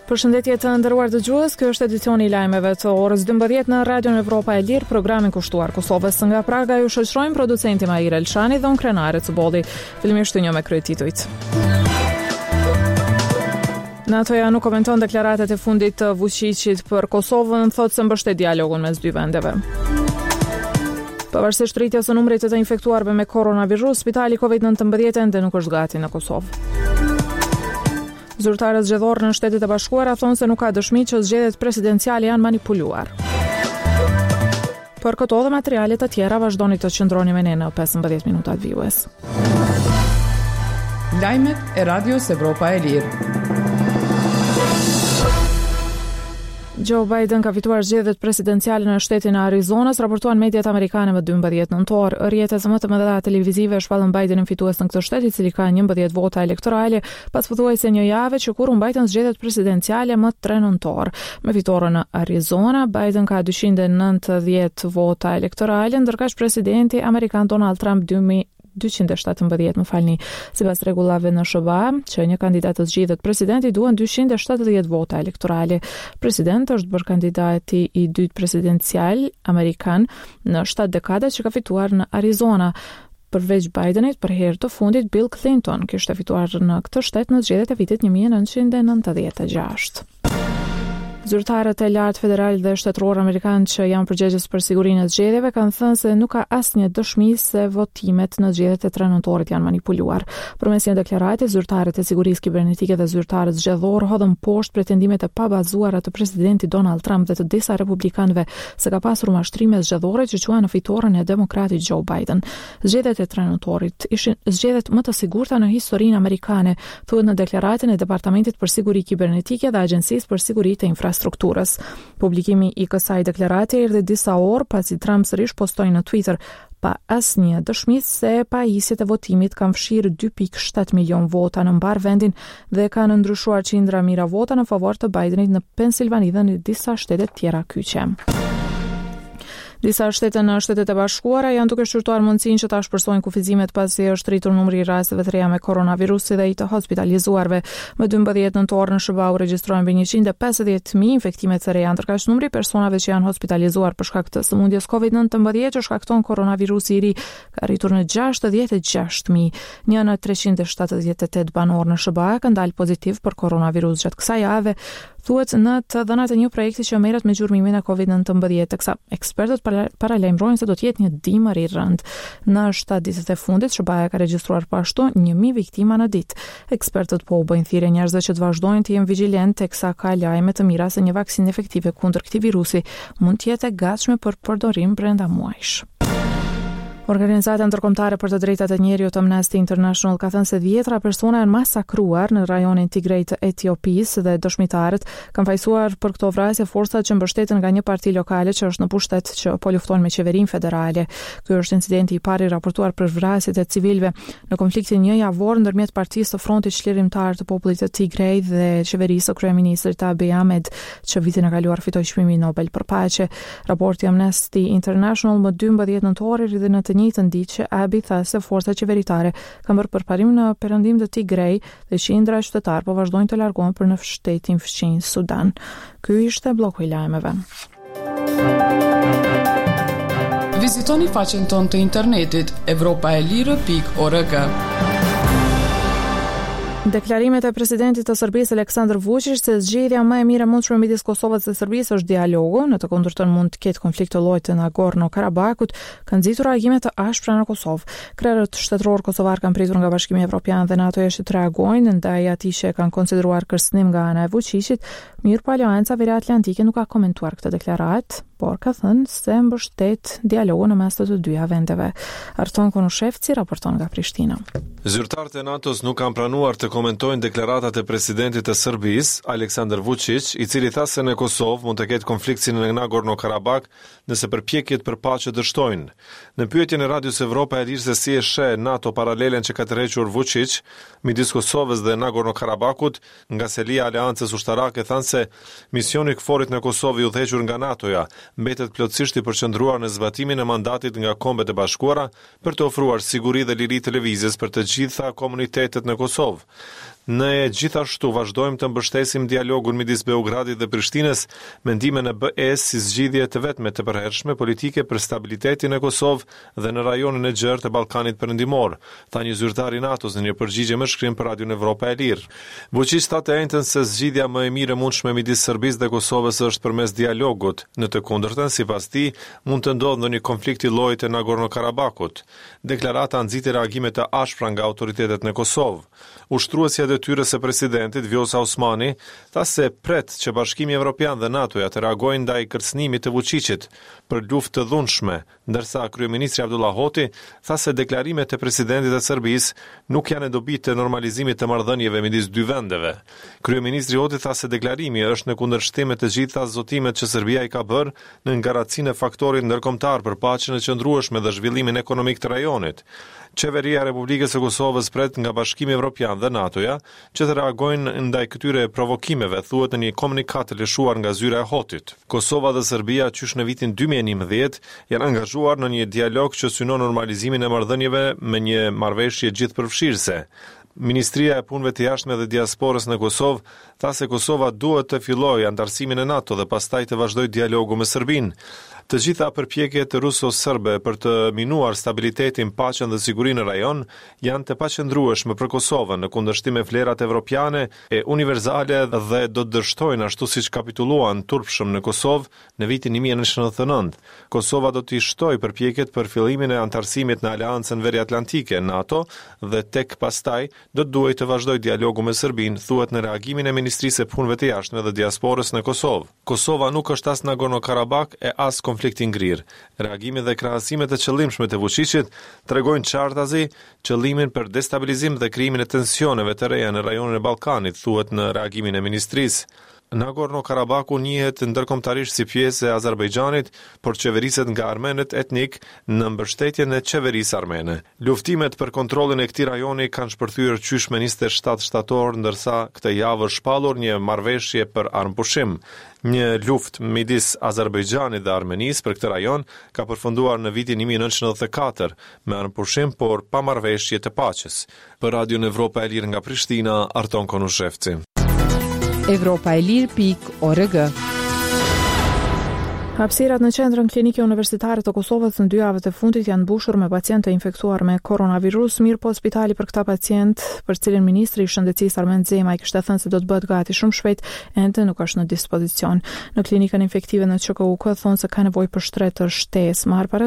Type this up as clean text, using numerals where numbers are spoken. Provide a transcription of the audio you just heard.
Përshëndetje të nderuar dëgjues, ky është edicioni i lajmeve të orës 12 në Radion Evropa e Lirë, programin kushtuar Kosovës. Nga Praga ju shoqërojnë producenti Mahir Elshani dhe unë Krenare Cubolli. Fillimisht ju njoh me kryetitujt. NATO-ja nuk komenton deklaratat e fundit të Vuçiqit për Kosovën, thotë se mbështet dialogun mes dy vendeve. Pavarësisht rritjes së numrit të të infektuarve me koronavirus, spitali COVID-19 ende nuk është gati në Kosovë. Zyrtarët zgjedhorë në Shtetet e Bashkuara thonë se nuk ka dëshmi që zgjedhjet presidenciale janë manipuluar. Për këto dhe materiale të tjera vazhdoni të qëndroni me ne në 15 minutat vijues. Lajmet e Radios Evropa e Lirë. Joe Biden ka fituar zgjedhjet presidenciale në shtetin e Arizonës, raportuan mediat amerikane më 12 nëntor. Rrjetet më të mëdha televizive shpallën Bidenin fitues në këtë shtet, i cili ka 11 vota elektorale, pas pothuajse një jave që kur u mbajtën zgjedhjet presidenciale më 3 nëntor. Me fitoren në Arizona, Biden ka 290 vota elektorale, ndërkaq presidenti amerikan Donald Trump 217, më falni, sipas rregullave në SHBA, që një kandidat të zgjidhet president i duhen 270 vota elektorale. President është bërë kandidati i dytë presidencial amerikan në 7 dekada që ka fituar në Arizona. Përveç Bidenit, për herë të fundit Bill Clinton kishte fituar në këtë shtet në zgjedhjet e vitit 1996. Zyrtarët e lartë federalë dhe shtetërorë amerikanë që janë përgjegjës për sigurinë e zgjedhjeve kanë thënë se nuk ka asnjë dëshmi se votimet në zgjedhjet e 3 nëntorit janë manipuluar. Përmes një deklarate, zyrtarët e sigurisë kibernetike dhe zyrtarët zgjedhorë hodhën poshtë pretendimet e pabazuara të presidentit Donald Trump dhe të disa republikanëve se ka pasur mashtrime zgjedhore që çuan në fitoren e demokratit Joe Biden. Zgjedhjet e 3 nëntorit ishin zgjedhjet më të sigurta në historinë amerikane, thuhet në deklaratën e Departamentit për Siguri Kibernetike dhe Agjencisë për Siguri të Infrastrukturës. Publikimi i kësaj deklarate erdhi disa orë pasi Trump sërish postoi në Twitter pa asnjë dëshmi se pajisjet e votimit kanë fshirë 2.7 milion vota në mbarë vendin dhe kanë ndryshuar qindra mijëra vota në favor të Bidenit në Pensilvani dhe në disa shtete tjera kyçe. Disa shtete në Shtetet e Bashkuara janë duke shqyrtuar mundësinë që të ashpërsojnë kufizimet pasi është rritur numri i rasteve të reja me koronavirus si dhe i të hospitalizuarve. Më 12 nëntor në SHBA u regjistruan mbi 150.000 infektime të reja, ndërkaq numri i personave që janë hospitalizuar për shkak të sëmundjes COVID-19 që shkakton koronavirusi i ri ka arritur në 66.000. Një në 378 banorë në SHBA kanë dalë pozitiv për koronavirus gjatë kësaj jave, thuhet në të dhënat e një projekti që merret me gjurmimin e COVID-19, teksa ekspertët paralajmërojnë se do të jetë një dimër i rëndë. Në 7 ditët e fundit, SHBA-ja ka regjistruar po ashtu 1000 viktima në ditë. Ekspertët po u bëjnë thirrje njerëzve që të vazhdojnë të jenë vigjilentë teksa ka lajme të mira se një vaksinë efektive kundër këtij virusi mund të jetë e gatshme për përdorim brenda muajsh. Organizata ndërkombëtare për të drejtat e njeriut Amnesty International ka thënë se dhjetra persona janë masakruar në rajonin Tigray të Etiopisë dhe dëshmitarët kanë fajësuar për këto vrasje forcat që mbështeten nga një parti lokale që është në pushtet që po luftojnë me qeverinë federale. Ky është incidenti i parë i raportuar për vrasjet e civilëve në konfliktin një javor ndërmjet partisë së Frontit Çlirimtar të Popullit të Tigray dhe qeverisë së kryeministrit Abiy Ahmed, që vitin e kaluar fitoi çmimin Nobel për paqe. Raporti Amnesty International më 12 nëntor erdhi në të njëjtën ditë që Abiy tha se forcat qeveritare kanë bërë përparim në perëndim të Tigray dhe qindra qytetarë po vazhdojnë të largohen për në shtetin fqinj Sudan. Ky ishte blloku i lajmeve. Vizitoni faqen tonë të internetit evropaelire.org. Deklarimet e presidentit të Serbisë Aleksandar Vuçiq se zgjidhja më e mirë e mundshme midis Kosovës dhe Serbisë është dialogu, në të kundërtën mund të ketë konflikt të llojit të Nagorno-Karabakut, kanë nxitur reagime të ashpra në Kosovë. Krerët shtetërorë kosovarë kanë pritur nga Bashkimi Evropian dhe NATO-ja që të reagojnë ndaj atij që e kanë konsideruar kërcënim nga ana e Vuçiqit, mirëpo Aleanca Veriatlantike nuk ka komentuar këtë deklaratë, por ka thënë se mbështet dialogun në mes të të dyja vendeve. Arton Konushevci raporton nga Prishtina. Zyrtarët e NATO-s nuk kanë pranuar të komentojnë deklaratat e presidentit të Serbisë, Aleksandar Vuçiq, i cili tha se në Kosovë mund të ketë konflikt si në Nagorno-Karabak nëse përpjekjet për paqe dështojnë. Në pyetjen e Radios Evropa e Lirë se si e sheh NATO paralelen që ka tërhequr Vuçiq midis Kosovës dhe Nagorno-Karabakut, Nga selia e aleancës ushtarake thanë se misioni i KFOR-it në Kosovë i udhëhequr nga NATO-ja mbetet plotësisht i përqendruar në zbatimin e mandatit nga Kombet e Bashkuara për të ofruar siguri dhe liri të lëvizjes për të gjitha komunitetet në Kosovë. Ne gjithashtu vazhdojmë të mbështesim dialogun midis Beogradit dhe Prishtinës me ndihmën e BE-së si zgjidhje të vetme të përhershme politike për stabilitetin në Kosovë dhe në rajonin e gjerë të Ballkanit Perëndimor, tha një zyrtar i NATO-s në një përgjigje me shkrim për Radion Evropa e Lirë. Vuçiq tha të enjten se zgjidhja më e mirë e mundshme midis Serbisë dhe Kosovës është përmes dialogut, në të kundërtën, sipas tij, mund të ndodhë ndonjë konflikt i llojit të Nagorno-Karabakut. Deklarata nxiti reagime të ashpra nga autoritetet në Kosovë. Ushtruesja e detyrës së presidentit, Vjosa Osmani, tha se pret që Bashkimi Evropian dhe NATO-ja të reagojnë ndaj kërcënimit të Vuçiqit për luftë të dhunshme, ndërsa kryeministri Avdullah Hoti tha se deklarimet e presidentit të Serbisë nuk janë në dobi të normalizimit të marrëdhënieve midis dy vendeve. Kryeministri Hoti tha se deklarimi është në kundërshtim me të gjitha zotimet që Serbia i ka bërë nën garancinë e faktorit ndërkombëtar për paqen e qëndrueshme dhe zhvillimin ekonomik të rajonit. Qeveria e Republikës së Kosovës pret nga Bashkimi Evropian dhe NATO-ja që të reagojnë ndaj këtyre provokimeve, thuhet në një komunikatë të lëshuar nga zyra e Hotit. Kosova dhe Serbia qysh në vitin 2011 janë angazhuar në një dialog që synon normalizimin e marrëdhënieve me një marrëveshje gjithëpërfshirëse. Ministria e Punëve të Jashtme dhe Diasporës në Kosovë tha se Kosova duhet të fillojë anëtarësimin në NATO dhe pastaj të vazhdojë dialogu me Serbinë. Të gjitha përpjekjet ruso-serbe për të minuar stabilitetin, paqen dhe sigurinë në rajon janë të paqëndrueshme për Kosovën, në kundërshtim me vlerat evropiane e universale dhe do të dështojnë ashtu siç kapitulluan turpshëm në Kosovë në vitin 1999. Kosova do t'i shtojë përpjekjet për fillimin e anëtarësimit në Aleancën Veriatlantike, NATO, dhe tek pastaj do të duhej të vazhdojë dialogu me Serbinë, thuhet në reagimin e Ministrisë së Punëve të Jashtme dhe Diasporës në Kosovë. Kosova nuk është as Nagorno-Karabak e as konflikt i ngrirë. Reagimi dhe krahasimet e qëllimshme të Vuçiqit tregojnë qartazi qëllimin për destabilizim dhe krijimin e tensioneve të reja në rajonin e Ballkanit, thuhet në reagimin e ministrisë. Nagorno-Karabaku njihet ndërkombëtarisht si pjesë e Azerbajxhanit, por qeveriset nga armenët etnikë në mbështetjen e qeverisë armene. Luftimet për kontrollin e këtij rajoni kanë shpërthyer qysh me 27 shtator, ndërsa këtë javë është shpallur një marrëveshje për armëpushim. Një luftë midis Azerbajxhanit dhe Armenisë për këtë rajon ka përfunduar në vitin 1994 me armëpushim, por pa marrëveshje të paqes. Për Radion Evropa e Lirë nga Prishtina, Arton Konushevci. Evropa e Lirë pikë org. Hapësirat në Qendrën Klinike Universitare të Kosovës në dy javët e fundit janë mbushur me pacientë të infektuar me koronavirus, mirëpo spitali për këta pacientë, për cilin ministri i Shëndetësisë Armend Zemaj kishte thënë se do të bëhet gati shumë shpejt, ende nuk është në dispozicion. Në klinikën infektive në QKUK thonë se ka nevojë për shtretër shtesë. Marrë para.